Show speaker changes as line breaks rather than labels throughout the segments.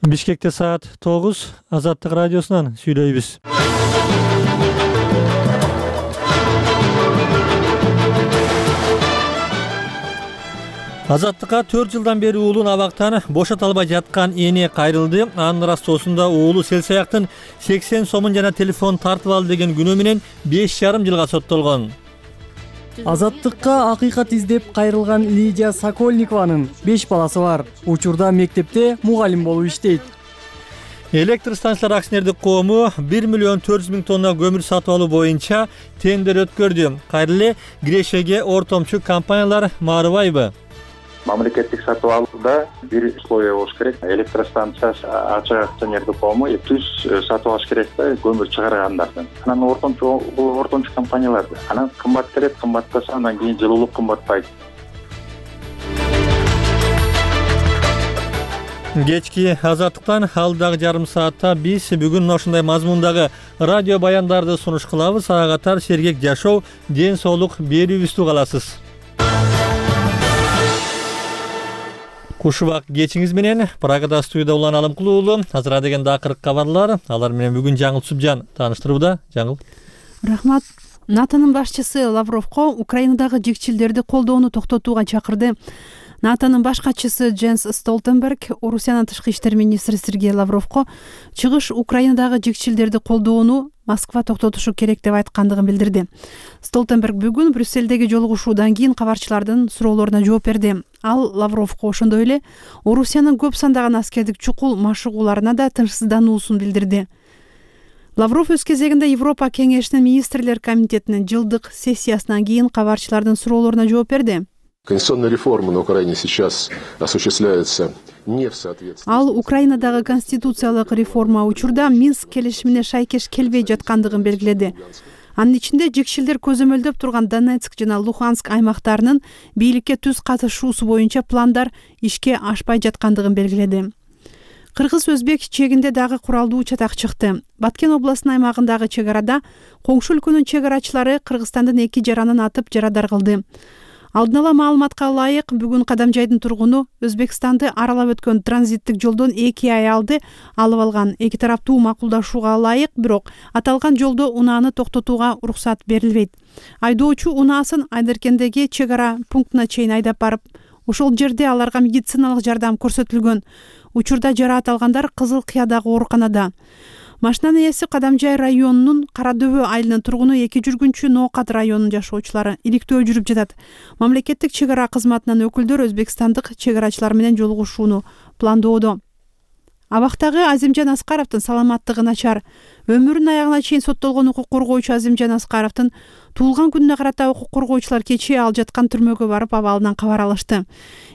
Бишкекте саат 9, Азаттык радиосунан сүйлөйбүз. Азаттыкка 4 жылдан бери уулун абактан бошото албай жаткан эне кайрылды. Анын ырастоосунда уулу Селсаяктын 80 сомун жана телефон тартып алды деген күнөө менен 5,5 жылга соттолгон.
Азаттыкка акыйкат издеп кайрылган Лидия Сокольникованын 5 баласы бар. Учурда мектепте мугалим болуп иштейт.
Электр станциялар акционердик коому 1 миллион 400 миң тонна көмүр сатып алуу боюнча тендер өткөрдү. Кайра эле кирешеге ортомчу компаниялар маарыбайбы?
Мамлекеттик сатып алууда бир условия болуш керек. Электростанциясы ачык акционердик коому түз сатып алыш керек да, көмүр чыгаргандардан. Анан ортомчу компанияларды. Анан кымбат келет, кымбаттаса андан кийин жылуулук кымбатпайт.
Кечки Азаттыктан алдагы жарым саатта биз бүгүн ошондой мазмундагы радио баяндарды сунуш кылабыз. Ага катар сергек жашоо, ден соолук берүүбүздү каласыз. Кушубак кечиңиз менен Прагада студияда улан Алымкул уулу. Азыр деген акыркы кабарлар. Алар менен бүгүн Жаңыл Субжан тааныштырууда. Жаңыл.
Рахмат. НАТОнун башчысы Лавровго Украинадагы жекчилдерди колдоону токтотууга чакырды. НАТОнун баш катчысы Дженс Столтенберг Орусиянын тышкы иштер министри Сергей Лавровго чыгыш Украинадагы жекчилдерди колдоону Москва токтотушу керек деп айткандыгын билдирди. Столтенберг бүгүн Брюсселдеги жолугушуудан кийин кабарчылардын суроолоруна жооп берди. Ал Лавровго ошондой эле Орусиянын көп сандаган аскердик чукул машыгууларына да тынчсыздануусун билдирди. Лавров өз кезегинде Европа кеңешинин министрлер комитетинин жылдык сессиясынан кийин кабарчылардын суроолоруна жооп берди.
Конституционная реформа на Украине сейчас осуществляется не в соответствии.
Ал Украинадагы конституциялык реформа учурда Минск келишимине шайкеш келбей жаткандыгын белгиледи. Анын ичинде жекшилдер көзөмөлдөп турган Донецк жана Луганск аймактарынын бийликке түз катышуусу боюнча пландар ишке ашпай жаткандыгын белгиледи. Кыргыз-өзбек чегинде дагы куралдуу чатак чыкты. Баткен областынын аймагындагы чек арада коңшу өлкөнүн чек арачылары Кыргызстандын 2 жаранын атып жарадар кылды. Алдын ала маалыматка ылайык, бүгүн Кадамжайдын тургуну Өзбекстанды аралап өткөн транзиттик жолдон 2 аялды алып алган. Эки тараптуу макулдашууга ылайык, бирок аталган жолдо унааны токтотууга уруксат берилбейт. Айдоочу унаасын Айдаркендеги чек ара пунктуна чейин айдап барып, ошол жерде аларга медициналык жардам көрсөтүлгөн. Учурда жараат алгандар Кызыл Кыядагы ооруканада. Машинанын ээси Кадамжай районунун Карадөбө айылынын тургуну 2 жүргүнчү Ноокат районунун жашоочулары иликтөө жүрүп жатат. Мамлекеттик чек ара кызматынын өкүлдөр өзбекстандык чек арачылар менен жолугушууну пландоодо. Абактагы Азимжан Аскаровдун саламаттыгы начар. Өмүрүнүн аягына чейин соттолгон укук коргоочу Азимжан Аскаровдун туулган күнүнө карата укук коргоочулар кечээ ал жаткан түрмөгө барып абалынан кабар алышты.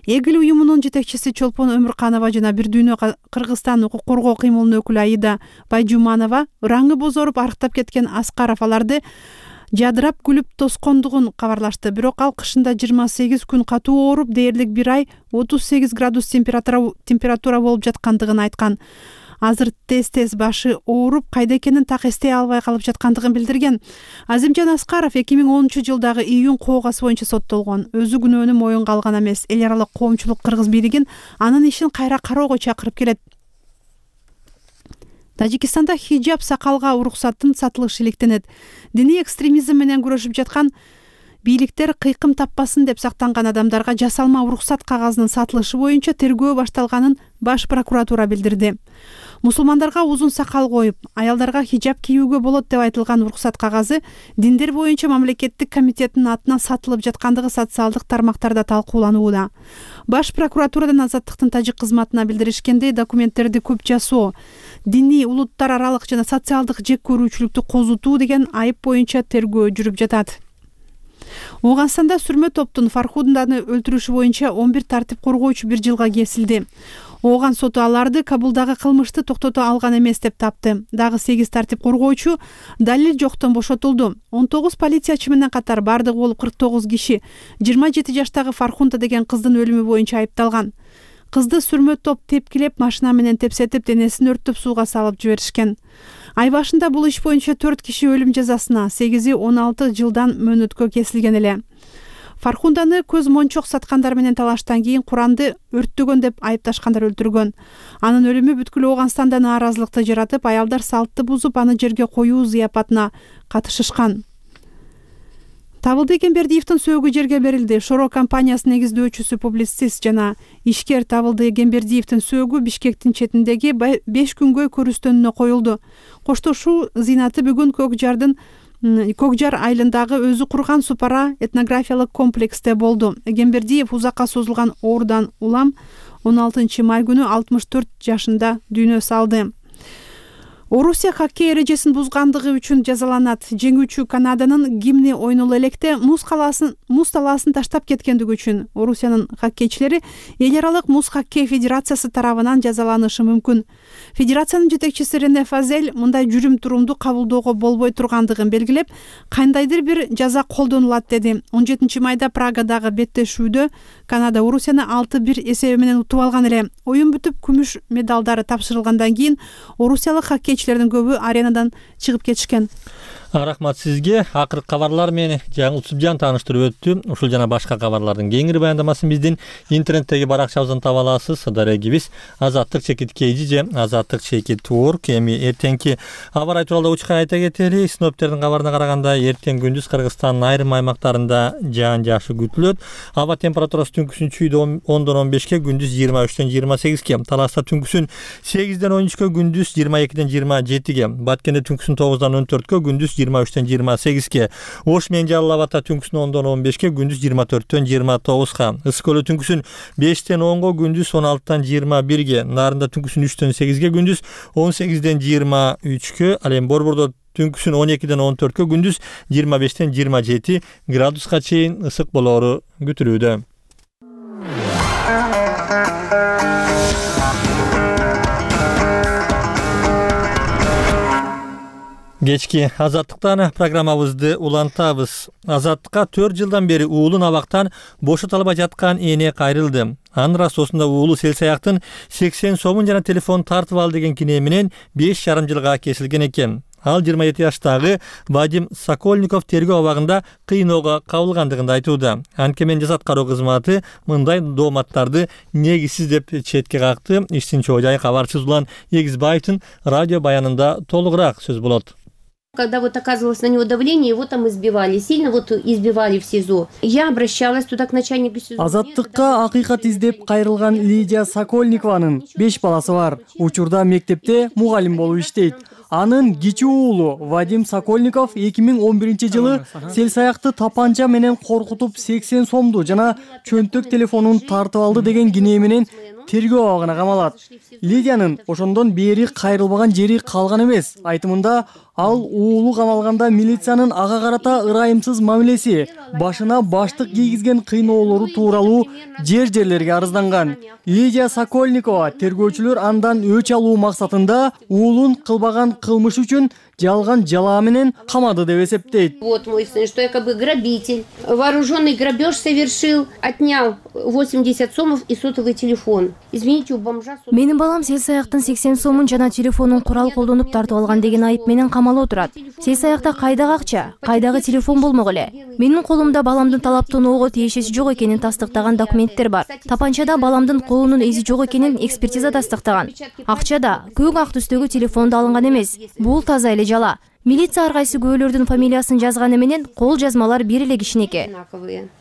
Эгил уюмунун жетекчиси Чолпон Өмүрканова жана Бир дүйнө Кыргызстан укук коргоо кыймылынын өкүлү Аида Байжуманова ыраңы бозоруп арыктап кеткен Аскаров аларды жадырап күлүп тоскондугун кабарлашты. Бирок ал кышында 28 күн катуу ооруп, дээрлик 1 ай 38 градус температура болуп жаткандыгын айткан. Азыр тез башы ооруп, кайда экенин так эстей албай калып жаткандыгын билдирген. Азимжан Аскаров 2010 жылдагы июнь коогасы боюнча соттолгон. Өзү күнөөнү моюнга алган эмес. Эл аралык коомчулук Кыргыз бийлигин анын ишин кайра кароого чакырып келет. Тажикстанда хиджаб сакалга уруксаттын сатылышы иликтенет. Диний экстремизм менен күрөшүп жаткан бийликтер кыйкым таппасын деп сактанган адамдарга жасалма уруксат кагазынын сатылышы боюнча тергөө башталганын баш прокуратура билдирди. Мусулмандарга узун сакал коюп, аялдарга хиджаб кийүүгө болот деп айтылган уруксат кагазы диндер боюнча мамлекеттик комитеттин атынан сатылып жаткандыгы социалдык тармактарда талкууланууда. Баш прокуратурадан Азаттыктын тажик кызматына билдиришкендей, документтерди көп жасоо, диний улуттар аралык жана социалдык жек көрүүчүлүктү козутуу деген айып боюнча тергөө жүрүп жатат. Ооганстанда сүрмө топтун Фархуданы өлтүрүшү боюнча 11 тартип коргоочу 1 жылга кесилди. Ооган соту аларды Кабулдагы кылмышты токтото алган эмес деп тапты. Дагы 8 тартип коргоочу далил жоктон бошотулду. 19 полициячы менен катар бардыгы болуп 49 киши 27 жаштагы Фархунта деген кыздын өлүмү боюнча айыпталган. Кызды сүрмө топ тепкилеп, машина менен тепсетип, денесин өрттөп сууга салып жиберишкен. Ай башында бул иш боюнча 4 киши өлүм жазасына, 8-16 жылдан мөөнөткө кесилген эле. Фархунданы көз мончок саткандар менен талаштан кийин Куранды өрттөгөн деп айыпташкандар өлтүргөн. Анын өлүмү бүткүл Ооганстанда нааразылыкты жаратып, аялдар салтты бузуп, аны жерге коюу зыяпатына катышышкан. Табылды Эгембердиевдин сөөгү жерге берилди. Шоро компаниясынын негиздөөчүсү, публицист жана ишкер Табылды Эгембердиевдин сөөгү Бишкектин четиндеги 5 күнгө көрүстөнүнө коюлду. Коштошуу зыйнаты бүгүн Көкжар айылындагы өзү курган Супара этнографиялык комплексте болду. Эгембердиев узакка созулган оорудан улам 16 май күнү 64 жашында дүйнө салды. Орусия хоккей эрежесин бузгандыгы үчүн жазаланат. Жеңүүчү Канаданын гимни ойноло электе муз талаасын таштап кеткендиги үчүн Орусиянын хоккейчилери эл аралык муз хоккей федерациясы тарабынан жазаланышы мүмкүн. Федерациянын жетекчиси Рене Фазель мындай жүрүм-турумду кабылдоого болбой тургандыгын белгилеп, кандайдыр бир жаза колдонулат деди. 17 майда Прагадагы беттешүүдө Канада Орусияны 6-1 эсеби менен утуп алган эле. Оюн бүтүп, күмүш медалдары тапшырылгандан кийин орусиялык хоккейчилердин көбү аренадан чыгып кетишкен.
Рахмат сизге. Акыркы кабарлар менен жаңы Субжан тааныштырып өттү. Ушул жана башка кабарлардын кеңири баяндамасын биздин интернеттеги баракчабыздан таба аласыз. Дарегибиз Азаттык _KG же Азаттык_Org. Эми эртеңки аба ырайы тууралуу учка айта кетели. Синоптиктердин кабарына караганда эртең күндүз Кыргызстандын айрым аймактарында жаан жашы күтүлөт. Аба температурасы түнкүсүн чүйдө 10-дон 15ке, күндүз 23-төн 28ке. Таласта түнкүсүн 8-ден 13ке, күндүз 22-ден 27ге. Баткенде түнкүсүн 9-дан 14ке, күндүз 23-төн 28ке. Ош менен Жалал Абадта түнкүсүн 10-дон 15ке, күндүз 24-төн 29ка. Ысык Көлдө түнкүсүн 5-тен 10га, күндүз 16-тан 21ге. Нарында түнкүсүн 3-төн 8ге, күндүз 18-ден 23ке. Ал эми Борбордо түнкүсүн 12-ден 14ке, күндүз 25-тен 27 градуска чейин ысык болоору күтүлүүдө. Кечки Азаттыктан программабызды улантабыз. Азаттыкка 4 жылдан бери уулун абактан бошотолбой жаткан эне кайрылды. Анын расосунда уулу сел-саяктын 80 сомун жана телефон тартып ал деген кине менен 5,5 жылга кесилген экен. Ал 27 жаштагы Вадим Сокольников тергөө абагында кыйноого кабылгандыгын айтууда. Анткени жазат кароо кызматы мындай дооматтарды негизсиз деп четке какты. Иштин чоо жайы кабарчыбыз Улан Эгизбаевдин радио баянында толугураак сөз болот.
Когда оказывалось на него давление, его там избивали, сильно избивали в СИЗО. Я обращалась туда к начальнику СИЗО.
Азаттыкка акыйкат издеп кайрылган Лидия Сокольникованын 5 баласы бар. Учурда мектепте мугалим болуп иштейт. Анын кичүү уулу Вадим Сокольников 2011 жылы сел-саякты тапанча менен коркутуп 80 сомду жана чөнтөк телефонун тартып алды деген кине менен тергөө абагына камалат. Лидиянын ошондон бери кайрылбаган жери калган эмес. Айтымында ал уулу камалганда милициянын ага карата ырайымсыз мамилеси, башына баштык кийгизген кыйноолору тууралуу жерлерге арызданган. Лидия Сокольникова тергөөчүлөр андан өч алуу максатында уулун кылбаган кылмыш үчүн жалган жалаа менен камады деп эсептейт.
Вот мой сын, что якобы грабитель, вооруженный грабеж совершил, отнял 80 сомов и сотовый телефон. Извините, у бомжа...
Менин балам сел-саяктын 80 сомун жана телефонун курал колдонуп тартып алган деген айып менен камалып отурат. Сел-саякта кайдагы акча, кайдагы телефон болмок эле. Менин колумда баламдын талаптоноого тиешеси жок экенин тастыктаган документтер бар. Тапанчада баламдын колунун изи жок экенин экспертиза тастыктаган. Акчада көк ак түстөгү телефон да алынган эмес. Бул таза эле жала. Милиция ар кайсы күбөлөрдүн фамилиясын жазганы менен кол жазмалар бир эле кишинеки.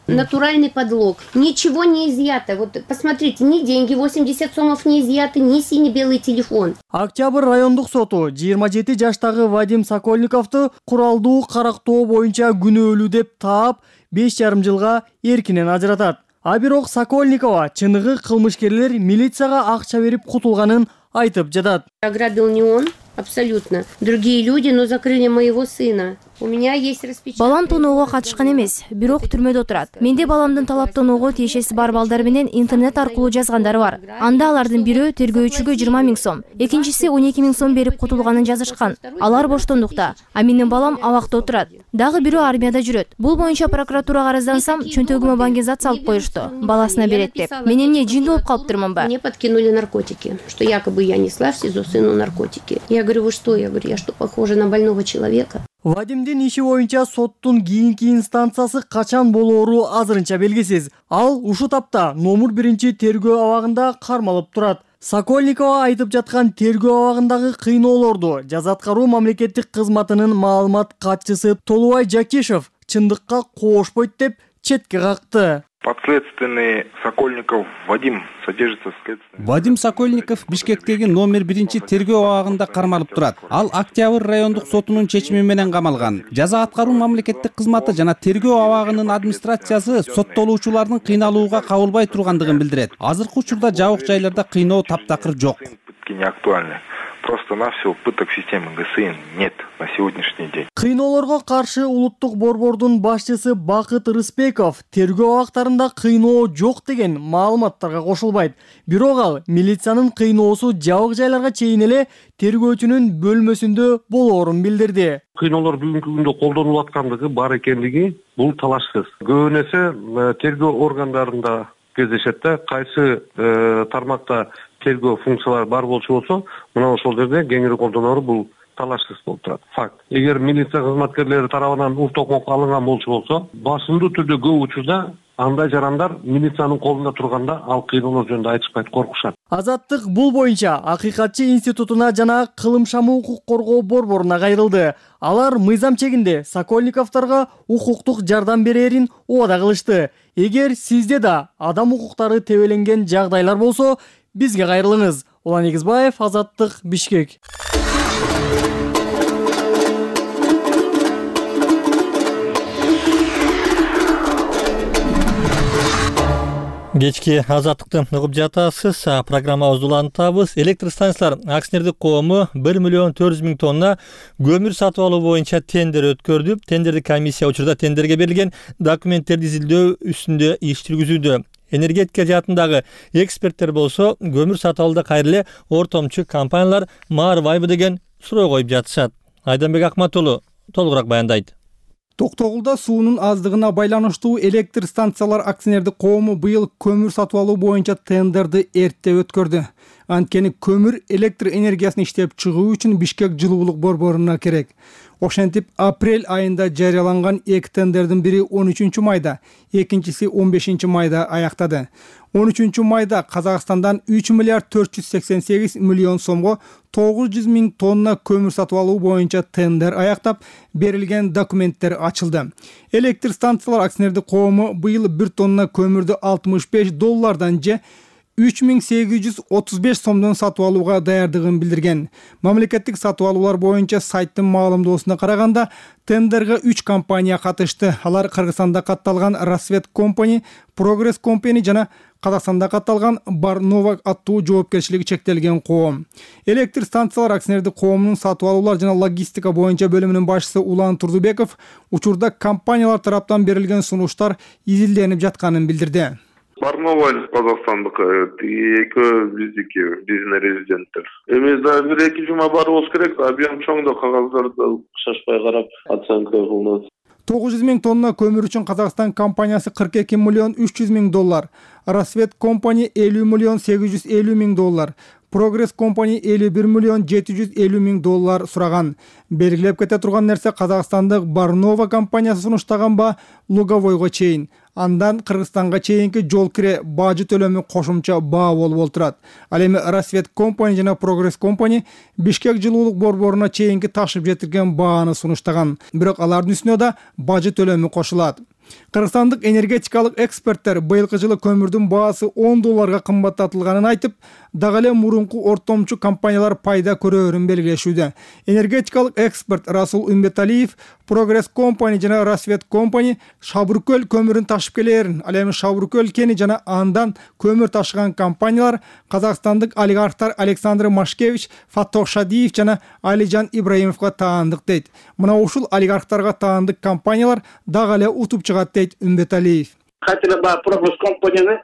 Натуральный подлог. Ничего не изъято. Вот посмотрите, ни деньги 80 сомов не изъяты, ни синий-белый телефон.
Октябрь райондук соту 27 жаштагы Вадим Сокольниковду куралдуу карактоо боюнча күнөөлүү деп таап 5,5 жылга эркинен ажыратат. А бирок Сокольникова чыныгы кылмышкерлер милицияга акча берип кутулганын айтып жатат.
Ограбил не он, абсолютно. Другие люди, но закрыли моего сына. У меня есть распечатка.
Балам тоноого катышкан эмес, бирок түрмөдө отурат. Менде баламдын талаптоноого тиешеси бар балдар менен интернет аркылуу жазгандары бар. Анда алардын бирөө тергөөчүгө 20 000 сом, экинчиси 12 000 сом берип кутулганын жазышкан. Алар боштондукта, а менин балам абакта отурат. Дагы бирөө армияда жүрөт. Бул боюнча прокуратурага арыздансам, чөнтөгүмө баңгизат салып коюшту, баласына берет деп. Мен эмне жинди болуп калыптырмынбы?
Мне подкинули наркотики, что якобы я несла в СИЗО сыну наркотики. Я говорю, вы что? Я говорю, я что, похожа на больного человека?
Вадимдин иши боюнча соттун кийинки инстанциясы качан болоору азырынча белгисиз. Ал ушул тапта номер 1 тергөө абагында кармалып турат. Сокольникова айтып жаткан тергөө абагындагы кыйноолорду жаза аткаруу мамлекеттик кызматынын маалымат катчысы Толубай Жакишев чындыкка коошпойт деп четке какты.
Подследственный Сокольников Вадим содержится в следственном.
Вадим Сокольников Бишкектеги номер 1 тергөө абагында кармалып турат. Ал Октябрь райондук сотунун чечими менен камалган. Жаза аткаруу мамлекеттик кызматы жана тергөө абагынын администрациясы соттолуучулардын кыйналууга кабылбай тургандыгын билдирет. Азыркы учурда жабык жайларда кыйноо таптакыр жок.
Пытки не актуальны. Просто-навсего пыток системы ГСИ нет на сегодняшний день.
Кыйноолорго каршы улуттук борбордун башчысы Бакыт Рыспеков тергөө абактарында кыйноо жок деген маалыматтарга кошулбайт. Бирок ал милициянын кыйноосу жабык жайларга чейин эле тергөөчүнүн бөлмөсүндө болоорун билдирди.
Кыйноолор бүгүнкү күндө колдонулуп аткандыгы бар экендиги бул талашсыз. Көбүн эсе тергөө органдарында кездешет да, кайсы тармакта тергөө функциялары бар болчу болсо, мына ошол жерде кеңири колдоноору бул талашсыз болуп турат. Факт. Эгер милиция кызматкерлери тарабынан уктокмок алынган болчу болсо, басымдуу түрдө көп учурда андай жарандар милициянын колунда турганда ал кыйноолор жөнүндө айтышпайт, коркушат.
Азаттык бул боюнча Акыйкатчы институтуна жана Кылымшамы укук коргоо борборуна кайрылды. Алар мыйзам чегинде Сокольниковторго укуктук жардам берерин убада кылышты. Эгер сизде да адам укуктары тебеленген жагдайлар болсо, бизге кайрылыңыз. Улан Эгизбаев, Азаттык, Бишкек.
Кечки азаттыкты угуп жатасыз. Программабызды улантабыз. Электр станциялар акционердик коому 1,4 миллион тонна көмүр сатып алуу боюнча тендер өткөрдү. Тендердик комиссия учурда тендерге берилген документтерди изилдөө үстүндө иш жүргүзүүдө. Энергетика жаатындагы эксперттер болсо, көмүр сатып алууда кайра эле ортомчу компаниялар маарбайбы деген суроо коюп жатышат. Айданбек Акмат уулу толугураак баяндайт.
Токтогулда суунун аздыгына байланыштуу электр станциялар акционердик коому быйыл көмүр сатып алуу боюнча тендерди эрте өткөрдү. Анткени көмүр электр энергиясын иштеп чыгуу үчүн Бишкек жылуулук борборуна керек. Ошентип, апрель айында жарыяланган 2 тендердин бири 13 майда, экинчиси 15 майда аяктады. 13 майда Казакстандан 3 миллиард 488 миллион сомго 900 миң тонна көмүр сатып алуу боюнча тендер аяктап, берилген документтер ачылды. Электр станциялар акционердик коому быйыл 1 тонна көмүрдү $65 же 3835 сомдон сатып алууга даярдыгын билдирген. Мамлекеттик сатып алуулар боюнча сайттын маалымдоосуна караганда, тендерге 3 компания катышты. Алар Кыргызстанда катталган Рассвет Компани, Прогресс Компани жана Казакстанда катталган Барнова аттуу жоопкерчилиги чектелген коом. Электр станциялар акционердик коомунун сатып алуулар жана логистика боюнча бөлүмүнүн башчысы Улан Турдубеков учурда компаниялар тараптан берилген сунуштар изилденип жатканын билдирди.
Барнова Казакстандык, экөө биздики, биздин резиденттер. Эми да 1-2 жума барыбыз керек, объем чоң да кагаздарды шашпай карап оценка кылынат.
900 миң тонна көмүр үчүн Казакстан компаниясы $42 миллион 300 миң, Рассвет Компани $50 миллион 850 миң, Прогресс Компани $51 миллион 750 миң сураган. Белгилеп кете турган нерсе, Казакстандык Барнова компаниясы сунуштаган ба Луговойго чейин, андан Кыргызстанга чейинки жол кире бажы төлөмү кошумча баа болуп турат. Ал эми Рассвет Компани жана Прогресс Компани Бишкек жылуулук борборуна чейинки ташып жетирген бааны сунуштаган. Бирок алардын үстүнө да бажы төлөмү кошулат. Кыргызстандык энергетикалык эксперттер быйылкы жылы көмүрдүн баасы $10 кымбаттатылганын айтып, дагы эле мурунку ортомчу компаниялар пайда көрөөрүн белгилешүүдө. Энергетикалык эксперт Расул Үмбеталиев Прогресс Компани жана Рассвет Компани Шабыркөл көмүрүн ташып келерин, ал эми Шабыркөл кени жана андан көмүр ташыган компаниялар казакстандык олигархтар Александр Машкевич, Фаттох Шадиев жана Алижан Ибраимовго таандык дейт. Мына ушул олигархтарга таандык компаниялар дагы эле утуп чыгат дейт Үмбеталиев.
Хотели бы Прогресс Компанияны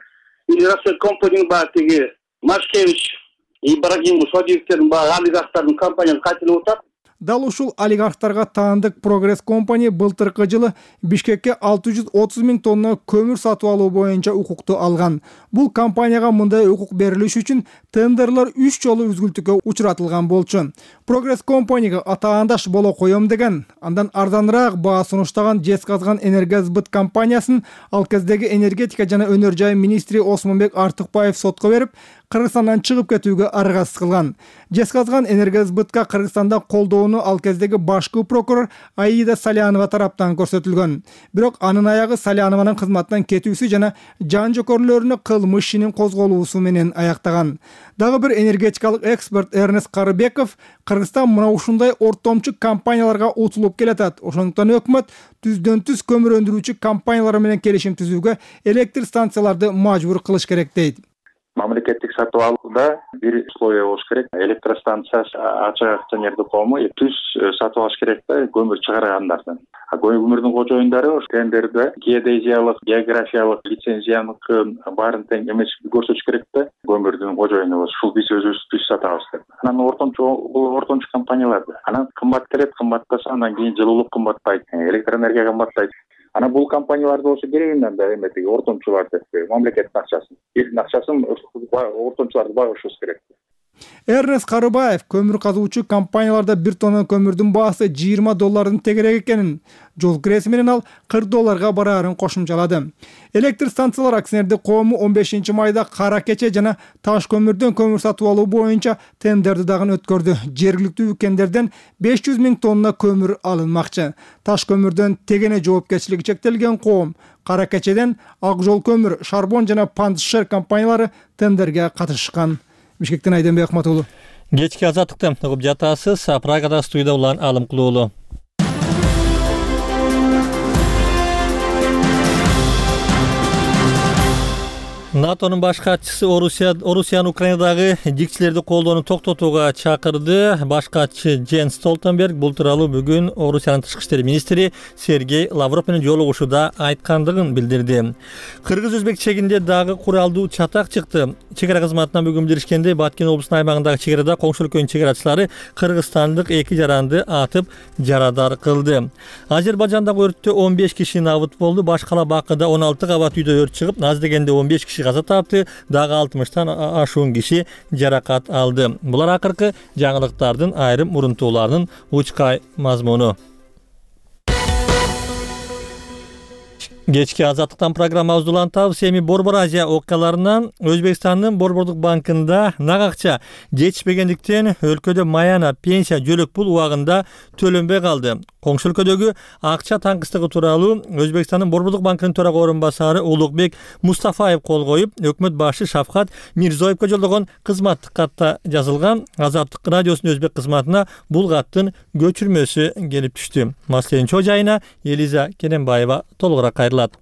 или Рассвет Компанияны ба тиги Машкевич, Ибрагим Шадиевтердин ба олигархтардын компанияны хотели утат.
Дал ушул олигархтарга таандык Прогресс компания былтыркы жылы Бишкекке 630 000 тонна көмүр сатып алуу боюнча укукту алган. Бул компанияга мындай укук берилиш үчүн тендерлер 3 жолу үзгүлтүккө учуратылган болчу. Прогресс компанияга атаандаш боло коем деген, андан арзаныраак баа сунуштаган Жезказган Энергосбыт компаниясын ал кездеги энергетика жана өнөр жай министри Осмонбек Артыкбаев сотко берип, Кыргызстандан чыгып кетүүгө аргасыз кылган. Жезказган Энергосбытка Кыргызстанда колдоону ал кездеги башкы прокурор Аида Салянова тараптан көрсөтүлгөн. Бирок анын аягы Салянованын кызматтан кетүүсү жана жан жокөрлөрүнө кылмыш ишинин козголуусу менен аяктаган. Дагы бир энергетикалык эксперт Эрнест Карыбеков Кыргызстан мына ушундай ортомчу компанияларга утулуп келатат. Ошондуктан өкмөт түздөн-түз көмүр өндүрүүчү компаниялар менен келишим түзүүгө электр станцияларды мажбур кылыш керек дейт.
Мамлекеттик сатып алууда бир условия болуш керек. Электростанциясы ачык акционердик коому түз сатып алыш керек да көмүр чыгаргандардан. Көмүрдүн кожоюндары ошо тендерде геодезиялык, географиялык лицензиянын баарын тең эмес көрсөтүш керек да көмүрдүн кожоюну ушул биз өзүбүз түз сатабыз деп. Анан ортомчу компанияларды. Анан кымбат келет, кымбаттаса андан кийин жылуулук кымбаттайт, электроэнергия кымбаттайт. Анан бул компанияларды болсо керегинен да эметиги ортомчулар деп мамлекеттин акчасын, элдин акчасын ортомчуларды багышыбыз керек.
Эрнест Карыбаев көмүр казуучу компанияларда бир тонна көмүрдүн баасы $20 тегерек экенин, жол киреси менен ал $40 бараарын кошумчалады. Электр станциялар акционердик коому 15 майда Кара Кече жана Таш көмүрдөн көмүр сатып алуу боюнча тендерди дагы өткөрдү. Жергиликтүү өлкөндөрдөн 500 000 тонна көмүр алынмакчы. Таш көмүрдөн Тегене жоопкерчилиги чектелген коом, Кара Кечеден Ак жол көмүр, Шарбон жана Пандшер компаниялары тендерге катышкан. Бишкектен Айденбек Ахматулу.
Кечки азаттыкты угуп жатасыз. Прагада студияда улан Алым Кулуулу. НАТОнун баш катчысы Орусиянын Украинадагы жикчилерди колдоону токтотууга чакырды. Баш катчы Дженс Столтенберг бул тууралуу бүгүн Орусиянын тышкы иштер министри Сергей Лавров менен жолугушууда айткандыгын билдирди. Кыргыз-Өзбек чегинде дагы куралдуу чатак чыкты. Чегара кызматынан бүгүн билдиришкендей, Баткен облусунун аймагындагы чегарада коңшу өлкөнүн чегарачылары кыргызстандык 2 жаранды атып жарадар кылды. Азербайжандагы өрттө 15 киши набыт болду. Баш кала Бакыда 16 кабат үйдө өрт чыгып, аз дегенде 15 киши каза тапты, дагы 60тан ашуун киши жаракат алды. Булар акыркы жаңылыктардын айрым мурунтууларынын учкай мазмуну. Кечки азаттыктан программабызды улантабыз. Эми Борбор Азия окуяларынан Өзбекстандын Борбордук банкында нак акча жетишпегендиктен өлкөдө маяна, пенсия, жөлөк пул убагында төлөнбөй калды. Коңшу өлкөдөгү акча таңкыстыгы тууралуу Өзбекстандын Борбордук банкынын төрага орун басары Улукбек Мустафаев кол коюп, өкмөт башы Шавкат Мирзоевго жолдогон кызматтык катта жазылган. Азаттык радиосунун өзбек кызматына бул каттын көчүрмөсү келип түштү. Маселенин чоо жайына Элиза Керенбаева толугураак кайрылат.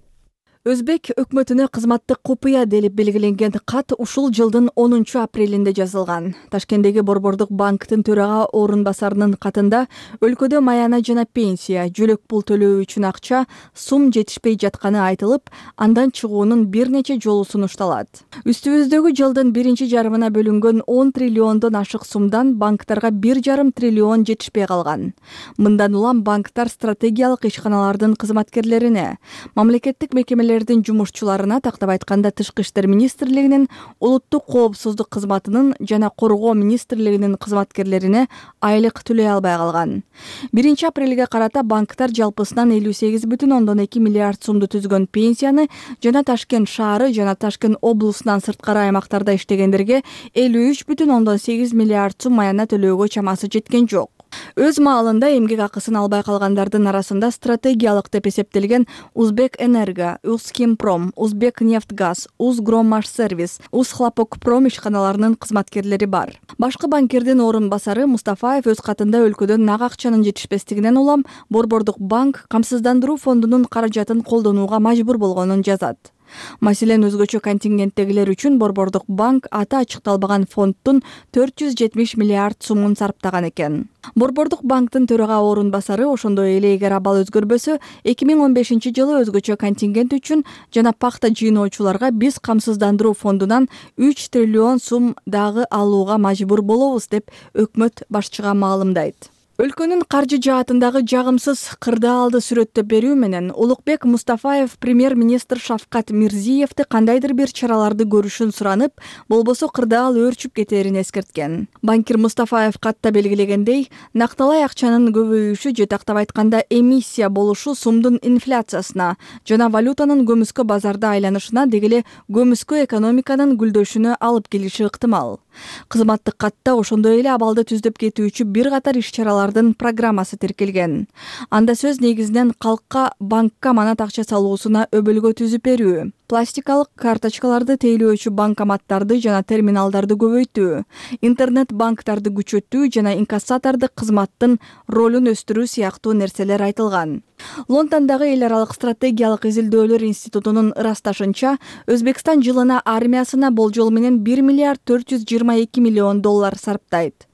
Өзбек өкмөтүнө кызматтык купуя делип белгиленген кат ушул жылдын 10 апрелинде жазылган. Ташкенттеги Борбордук банктын төрага орун басарынын катында өлкөдө маяна жана пенсия, жөлөк пул төлөө үчүн акча сум жетишпей жатканы айтылып, андан чыгуунун бир нече жолу сунушталат. Үстүбүздөгү жылдын биринчи жарымына бөлүнгөн 10 триллиондон ашык сумдан банктарга 1,5 триллион жетишпей калган. Мындан улам банктар стратегиялык ишканалардын кызматкерлерине, мамлекеттик мекемелер жумушчуларына, тактап айтканда Тышкы иштер министрлигинин, улуттук коопсуздук кызматынын жана коргоо министрлигинин кызматкерлерине айлык төлөй албай калган. 1 апрелге карата банктар жалпысынан 58,2 миллиард сумду түзгөн пенсияны жана Ташкент шаары жана Ташкент облусунан сырткары аймактарда иштегендерге 53,8 миллиард сум маяна төлөөгө чамасы жеткен жок. Өз маалында эмгек акысын албай калгандардын арасында стратегиялык деп эсептелген Узбек Энерго, Узхимпром, Узбек Нефтгаз, Узгроммашсервис, Узхлопокпром ишканаларынын кызматкерлери бар. Башкы банкирдин орун басары Мустафаев өз катында өлкөдөн нак акчанын жетишпестигинен улам Борбордук банк камсыздандыруу фондунун каражатын колдонууга мажбур болгонун жазат. Маселен, өзгөчө контингенттегилер үчүн Борбордук банк аты ачыкталбаган фондтун 470 миллиард сумун сарптаган экен. Борбордук банктын төрага орун басары ошондой эле эгер абал өзгөрбөсө, 2015 жылы өзгөчө контингент үчүн жана пакта жыйноочуларга биз камсыздандыруу фондунан 3 триллион сум дагы алууга мажбур болобуз деп өкмөт башчыга маалымдайт. Өлкөнүн каржы жаатындагы жагымсыз кырдаалды сүрөттөп берүү менен Улукбек Мустафаев премьер-министр Шавкат Мирзиевди кандайдыр бир чараларды көрүшүн суранып, болбосо кырдаал өөрчүп кетээрин эскерткен. Банкир Мустафаев катта белгилегендей, накталай акчанын көбөйүшү же тактап айтканда эмиссия болушу сумдун инфляциясына жана валютанын көмүскө базарда айланышына деги эле көмүскө экономиканын гүлдөшүнө алып келиши ыктымал. Кызматтык катта ошондой эле абалды түздөп кетүүчү бир катар иш-чаралардын программасы тиркелген. Анда сөз негизинен калкка банкка манат акча салуусуна өбөлгө түзүп берүү, пластикалык карточкаларды тейлөөчү банкоматтарды жана терминалдарды көбөйтүү, интернет банктарды күчөтүү жана инкассатордук кызматтын ролун өстүрүү сыяктуу нерселер айтылган. Лондондогу эл аралык стратегиялык изилдөөлөр институтунун ырасташынча, Өзбекстан жылына армиясына болжол менен 1 миллиард 422 миллион доллар сарптайт.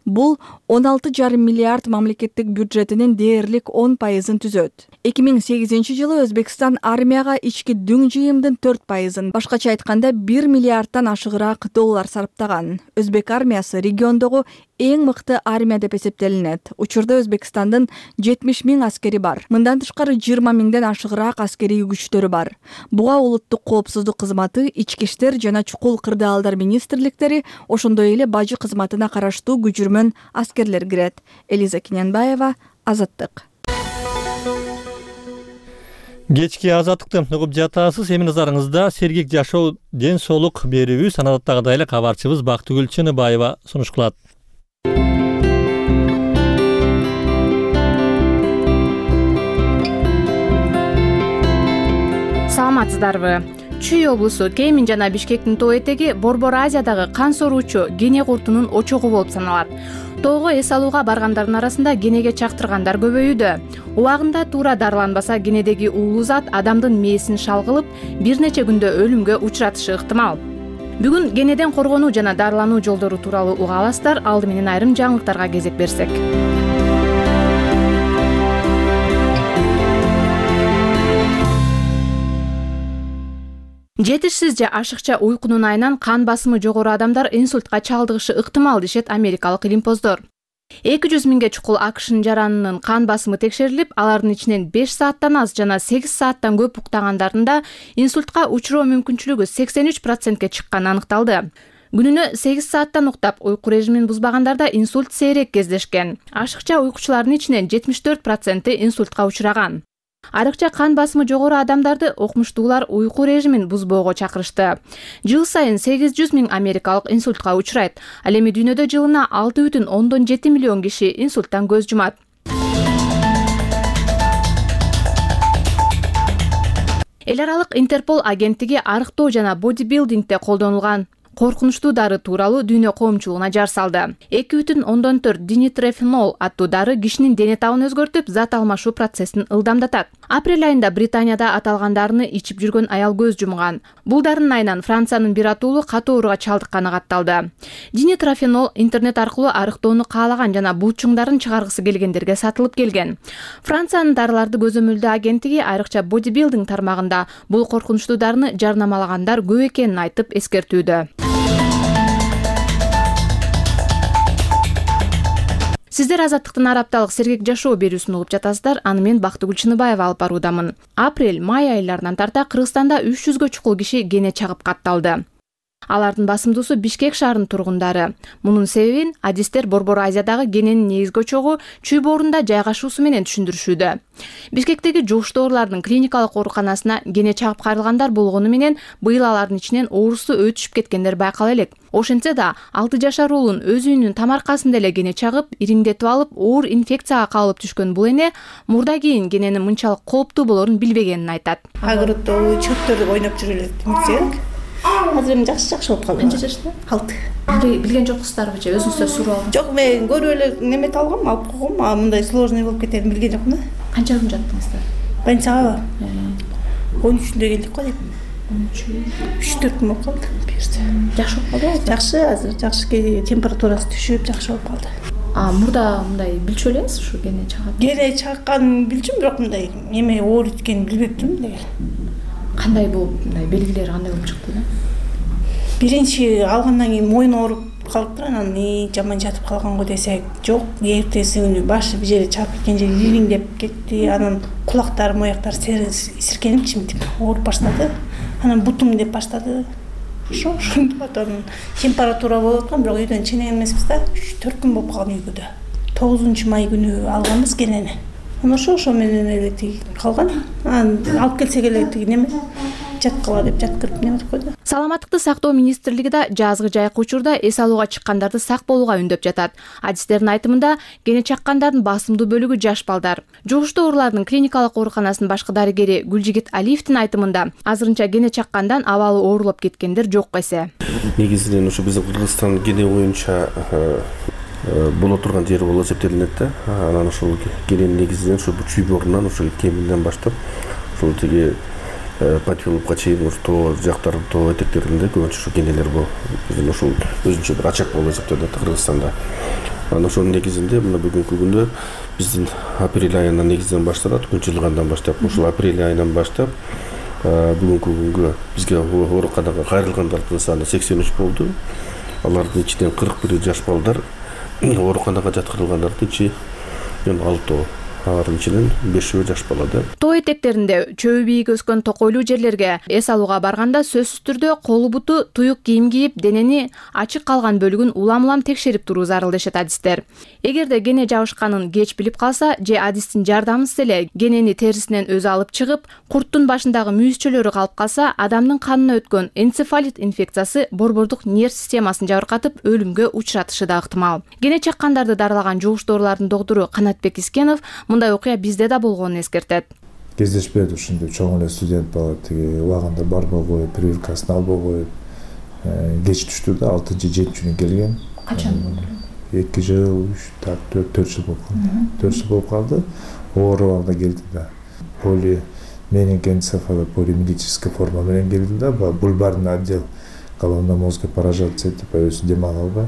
Бул 16,5 миллиард мамлекеттик бюджетинин дээрлик 10% түзөт. 2008 жылы Өзбекстан армияга ички дүң жыйымдын 4%, башкача айтканда 1 миллиардтан ашыгыраак доллар сарптаган. Өзбек армиясы региондогу эң мыкты армия деп эсептелинет. Учурда Өзбекстандын 70 000 аскери бар. Мындан тышкары 20 000ден ашыгыраак аскерий күчтөрү бар. Буга улуттук коопсуздук кызматы, ички иштер жана чукул кырдаалдар министрликтери, ошондой эле бажы кызматына караштуу күчүрмөн аскерлер кирет. Элиза Кинянбаева, Азаттык.
Кечки Азаттыкты угуп жатасыз. Эми назарыңызда сергек жашоо ден соолук берүүбүз. Анадаттагыдай эле кабарчыбыз Бактыгүл Чыныбаева сунуш кылат.
Саламатсыздарбы? Чүй облусу Кемин жана Бишкектин тоо этеги Борбор Азиядагы кан соруучу гене куртунун очогу болуп саналат. Тоого эс алууга баргандардын арасында генеге чактыргандар көбөйүүдө. Убагында туура дарыланбаса генедеги уулуу зат адамдын мээсин шалгылып, бир нече күндө өлүмгө учуратышы ыктымал. Бүгүн генеден коргонуу жана дарылануу жолдору тууралуу уга аласыздар. Алды менен айрым жаңылыктарга кезек берсек. Жетишсиз же ашыкча уйкунун айынан кан басымы жогору адамдар инсультка чалдыгышы ыктымал дешет америкалык илимпоздор. 200 000ге чукул АКШнын жаранынын кан басымы текшерилип, алардын ичинен 5 сааттан аз жана 8 сааттан көп уктагандарында инсультка учуроо мүмкүнчүлүгү 83%ке чыкканы аныкталды. Күнүнө 8 сааттан уктап, уйку режимин бузбагандарда инсульт сейрек кездешкен. Ашыкча уйкучулардын ичинен 74% инсультка учураган. Арыкча кан басымы жогору адамдарды окумуштуулар уйку режимин бузбоого чакырышты. Жыл сайын 800 000 америкалык инсультка учурайт. Ал эми дүйнөдө жылына 6,7 миллион киши инсульттан көз жумат. Эл аралык Интерпол агенттиги арыктоо жана бодибилдингде колдонулган коркунучтуу дары тууралуу дүйнө коомчулугуна жар салды. 2,4 динитрофенол аттуу дары кишинин дене табын өзгөртүп, зат алмашуу процессин ылдамдатат. Апрель айында Британияда аталган дарыны ичип жүргөн аял көз жумган. Бул дарынын айынан Франциянын бир атуулу катуу ооруга чалдыкканы катталды. Динитрофенол интернет аркылуу арыктоону каалаган жана булчуңдарын чыгаргысы келгендерге сатылып келген. Франциянын дарыларды көзөмөлдөө агенттиги айрыкча бодибилдинг тармагында бул коркунучтуу дарыны жарнамалагандар көп экенин айтып эскертүүдө. Сиздер Азаттыктын арапталык сергек жашоо берүүсүн угуп жатасыздар. Аны мен Бактыгүл Чыныбаева алып баруудамын. Апрель-май айларынан тарта Кыргызстанда 300гө чукул киши гене чагып катталды. Алардын басымдуусу Бишкек шаарынын тургундары. Мунун себебин адистер Борбор Азиядагы гененин негизги очогу чүй боорунда жайгашуусу менен түшүндүрүшүүдө. Бишкектеги жугуштуу оорулардын клиникалык ооруканасына гене чагып кайрылгандар болгону менен быйыл алардын ичинен оорусу өтүшүп кеткендер байкала элек. Ошентсе да 6 жашар уулун өз үйүнүн тамаркасында эле гене чагып, ириңдетип алып, оор инфекцияга кабылып түшкөн бул эне мурда кийин гененин мынчалык кооптуу болорун билбегенин айтат.
Агырыктоо чөптөр ойноп жүрүп элек. Азыр эми жакшы болуп калды.
Канча жашта?
6.
Билген жоксуздарбы же өзүңүздөр сурап алган?
Жок, мен көрүп эле неме алгам, алып койгом, а мындай сложный болуп кетерин билген жокмун да.
Канча күн жаттыңыздар?
Больницага 13-үндө келдик го дейм. 3-4 күн болуп калды.
Жакшы болуп калды?
Жакшы, азыр жакшы, температурасы түшүп, жакшы болуп калды.
Мурда мындай билчү элеңиз ушу гене чагат?
Гене чакканын билчүм, бирок мындай эме оор эткенин билбептим деген.
Кандай болуп, мындай белгилери кандай болуп чыкты да?
Биринчи алгандан кийин мойун ооруп, бүтүп калыптыр. Анан жаман жатып калганго десек, жок, эртеси күнү башы бир жери чарп кеткен жери ириңдеп кетти. Анан кулактар, мояктар сиркенип чимтип ооруп баштады. Анан бутум деп баштады. Ошондо анан температура болуп аткан, бирок үйдөн чыган эмеспиз да. 3-4 күн болуп калган үйгөдө. 9-май күнү алганбыз генени. Анан ошо менен эле тиги калган. Анан алып келсек эле тиги неме жаткыла деп жаткырып неметип койду.
Саламаттыкты сактоо министрлиги да жазгы жайкы учурда эс алууга чыккандарды сак болууга үндөп жатат. Адистердин айтымында кене чаккандардын басымдуу бөлүгү жаш балдар. Жугуштуу оорулардын клиникалык ооруканасынын башкы дарыгери Гүлжигит Алиевдин айтымында азырынча кене чаккандан абалы оорулуп кеткендер жок эсе.
Негизинен ошо биздин Кыргызстан кене боюнча боло турган жери болуп эсептелинет да. Анан ошол кененин негизинен ошо чүйбөрүнөн ошо кеминден баштап ошол тиги Патиловка чейин тоо жактар, тоо этектеринде көбүнчө ошо кенелер болуп, биздин ошол өзүнчө бир ачак болуп эсептелет Кыргызстанда. Анан ошонун негизинде мына бүгүнкү күндө биздин апрель айынан негизинен башталат, күн жылыгандан баштап, ошол апрель айынан баштап бүгүнкү күнгө бизге ооруканага кайрылгандардын саны 83 болду. Алардын ичинен 41 жаш балдар, ооруканага жаткырылгандардын ичи 6, алардын ичинен 5 жаш бала да.
Тоо этектеринде чөбү бийик өскөн токойлуу жерлерге эс алууга барганда сөзсүз түрдө колу буту туюк кийим кийип, денени ачык калган бөлүгүн улам-улам текшерип туруу зарыл дешет адистер. Эгерде кене жабышканын кеч билип калса же адистин жардамысыз эле кенени терисинен өзү алып чыгып, курттун башындагы мүйүзчөлөрү калып калса, адамдын канына өткөн энцефалит инфекциясы борбордук нерв системасын жабыркатып, өлүмгө учуратышы да ыктымал. Кене чаккандарды дарылаган жугуштуу оорулардын доктору Канатбек Искенов мындай окуя бизде да болгонун эскертет.
Кездешпейт ушундай чоң эле студент бала тиги убагында барбай коюп, прививкасын албай коюп, кеч түштү да, 6-7 келген.
Качан болду?
2 жыл, 4 жыл болуп калды. 4 жыл болуп калды. Оорубагында келди да. Полименингоэнцефалит, полимилитическая форма менен келди да, бульбарный отдел головно-мозговой поражаться этип өзү дем ала албай,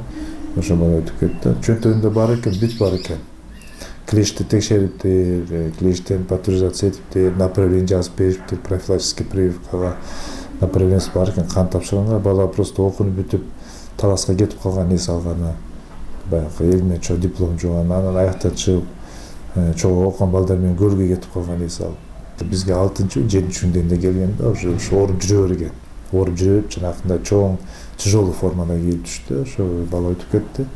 ошо менен өтүп кетти. Чөнтөгүндө бар экен, бүт бар экен. Клешти текшериптир, клештен патуризация этиптир, направление жазып бериптир, профилактический прививкага направлениеси бар экен, кан тапшырганга. Бала просто окунуп бүтүп таласка кетип калган, эс алганы, баягы эл менен чоң диплом жууган, анан аяктан чыгып чоң окуган балдар менен көлгө кетип калган, эс алып. Бизге 6-7 күндө келген да, ошо ооруп жүрө берген. Ооруп жүрүп, жанакындай чоң тяжелый формада келип түштү, ошо бала өтүп кетти.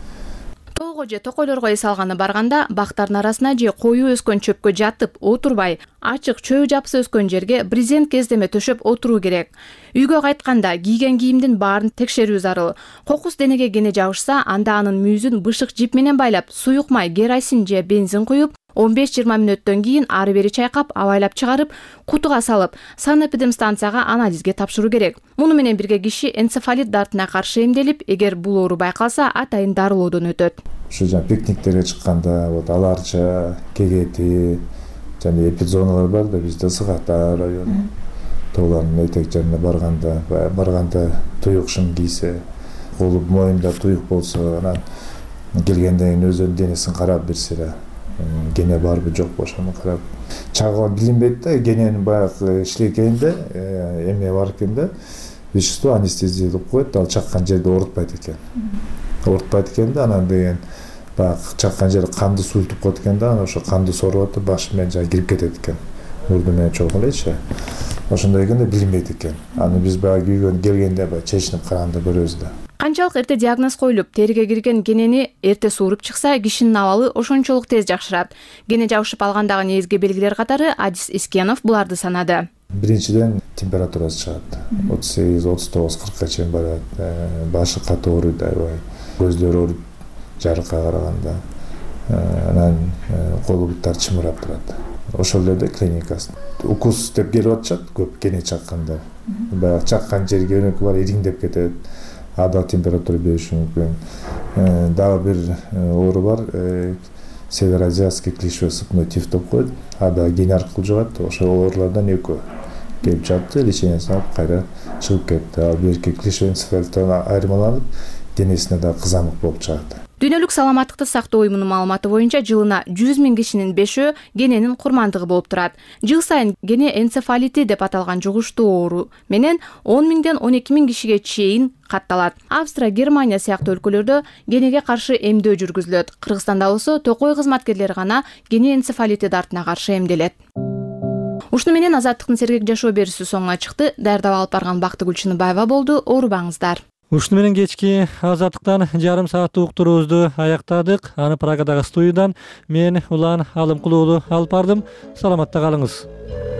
Тоого же токойлорго эс алганы барганда бактардын арасына же коюу өскөн чөпкө жатып отурбай, ачык чөбү жапсы өскөн жерге брезент кездеме төшөп отуруу керек. Үйгө кайтканда кийген кийимдин баарын текшерүү зарыл. Кокус денеге кене жабышса, анда анын мүйүзүн бышык жип менен байлап, суюк май, керосин же бензин куюп, 15-20 мүнөттөн кийин ары бери чайкап, абайлап чыгарып, кутуга салып, санэпидемстанцияга анализге тапшыруу керек. Муну менен бирге киши энцефалит дартына каршы эмделип, эгер бул оору байкалса, атайын дарылоодон өтөт.
Ушу жана пикниктерге чыкканда, вот Аларча, Кегети, жана эпидзоналар бар да, бизде Сыгата району. Тоолардын этек жарына барганда туюк шым кийсе, колу моюнда туюк болсо, анан келгенден кийин өзүнүн денесин карап берсе, кене барбы жокпу ошону карап. Чагыла билинбейт да, кененин баягы иштегенде эме бар экен да, вещество анестезия деп коет, ал чаккан жерде оорутпайт экен. Оорутпайт экен да, анан деген баягы чаккан жери канды суйлтуп коет экен да, анан ошо канды соруп атып башы менен жана кирип кетет экен. Мурду менен чогуу элечи. Ошондой экенде билинбейт экен. Аны биз баягы үйгө келгенде баягы чечинип караганда көрөбүз да.
Канчалык эрте диагноз коюлуп, териге кирген кенени эрте сууруп чыкса, кишинин абалы ошончолук тез жакшырат. Кене жабышып алгандагы негизги белгилер катары Адис Искенов буларды санады.
Биринчиден температурасы чыгат. 38-39 40ка чейин барат. Башы катуу ооруйт аябай. Көздөрү ооруйт жарыкка караганда. Анан колу буттар чымырап турат. Ошол эле клиникасы. Укус деп келип атышат көп кене чакканда. Баягы чаккан жерге өнөкү бар ириңдеп кетет. Ада температура бериши мүмкүн. Дагы бир оору бар, североазиатский клещевой сыпной тиф деп коет. Ада кене аркылуу жугат. Ошол оорулардан экөө келип жатты, лечениясын алып кайра чыгып кетти. Ал берки клещевой энцефалиттен айырмаланып, денесине да кызамык болуп чыгат.
Дүйнөлүк саламаттыкты сактоо уюмунун маалыматы боюнча жылына 100 000 кишинин 5-өө гененин курмандыгы болуп турат. Жыл сайын гене энцефалити деп аталган жугуштуу оору менен 10 000ден 12 000 кишиге чейин катталат. Австрия, Германия сыяктуу өлкөлөрдө генеге каршы эмдөө жүргүзүлөт. Кыргызстанда болсо токой кызматкерлери гана гене энцефалити дартына каршы эмделет. Ушуну менен Азаттыктын сергек жашоо берүүсү соңуна чыкты. Даярдап алып барган Бактыгүл Чыныбаева болду. Оорубаңыздар.
Ушуну менен кечки Азаттыктан жарым сааттык уктуруубузду аяктадык. Аны Праgadагы студиядан мен Улан Алымкулуулу алып бардым. Саламатта калыңыз.